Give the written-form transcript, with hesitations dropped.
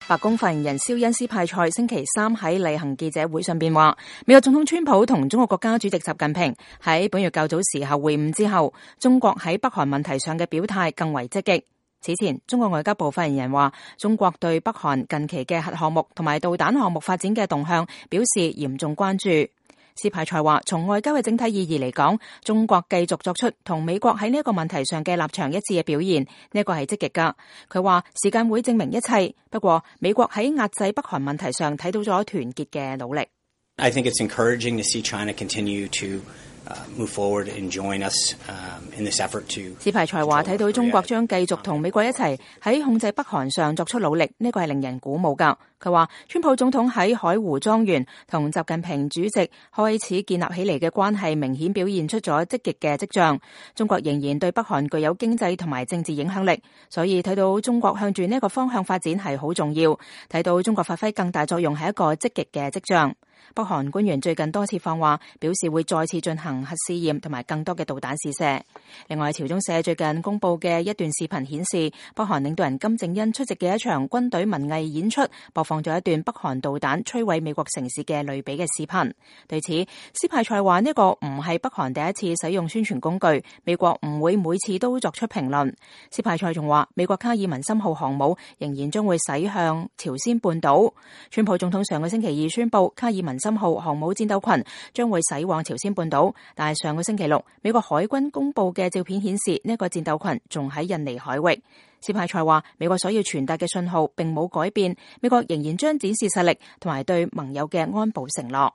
白宮發言人肖恩斯派塞星期三喺例行記者會上邊話，美國總統川普同中國國家主席習近平喺本月較早時候會晤之後，中國喺北韓問題上嘅表態更為積極。此前，中國外交部發言人話，中國對北韓近期嘅核項目同埋導彈項目發展嘅動向表示嚴重關注。斯派塞話，從外交嘅整體意義嚟講，中國繼續作出同美國喺呢一個問題上嘅立場一致嘅表現，呢一個係積極噶。佢話時間會證明一切，不過美國喺壓制北韓問題上睇到咗團結嘅努力。I think it's encouraging to see China continue to move forward and join us in this effort to。斯派塞話睇到中國將繼續同美國一齊喺控制北韓上作出努力，呢個係令人鼓舞噶。佢話川普總統喺海湖莊園同習近平主席開始建立起嚟嘅關係，明顯表現出咗積極嘅跡象。中國仍然對北韓具有經濟同埋政治影響力，所以睇到中國向住呢個方向發展係好重要。睇到中國發揮更大作用係一個積極嘅跡象。北韓官員最近多次放話，表示會再次進行核試驗同埋更多嘅導彈試射。另外，朝中社最近公布嘅一段視頻顯示，北韓領導人金正恩出席嘅一場軍隊文藝演出，播放咗一段北韓導彈摧毀美國城市嘅類比嘅視頻。對此，斯派塞話呢個唔係北韓第一次使用宣傳工具，美國唔會每次都作出評論。斯派塞仲話，美國卡爾文森號航母仍然將會駛向朝鮮半島。川普總統上個星期二宣布，卡爾文森號航母戰鬥群將會駛往朝鮮半島，但係上個星期六，美國海軍公布嘅照片顯示，呢個戰鬥群仲喺印尼海域。斯派塞話，美國所要傳達嘅信號並冇改變，美國仍然將展示實力同埋對盟友嘅安保承諾。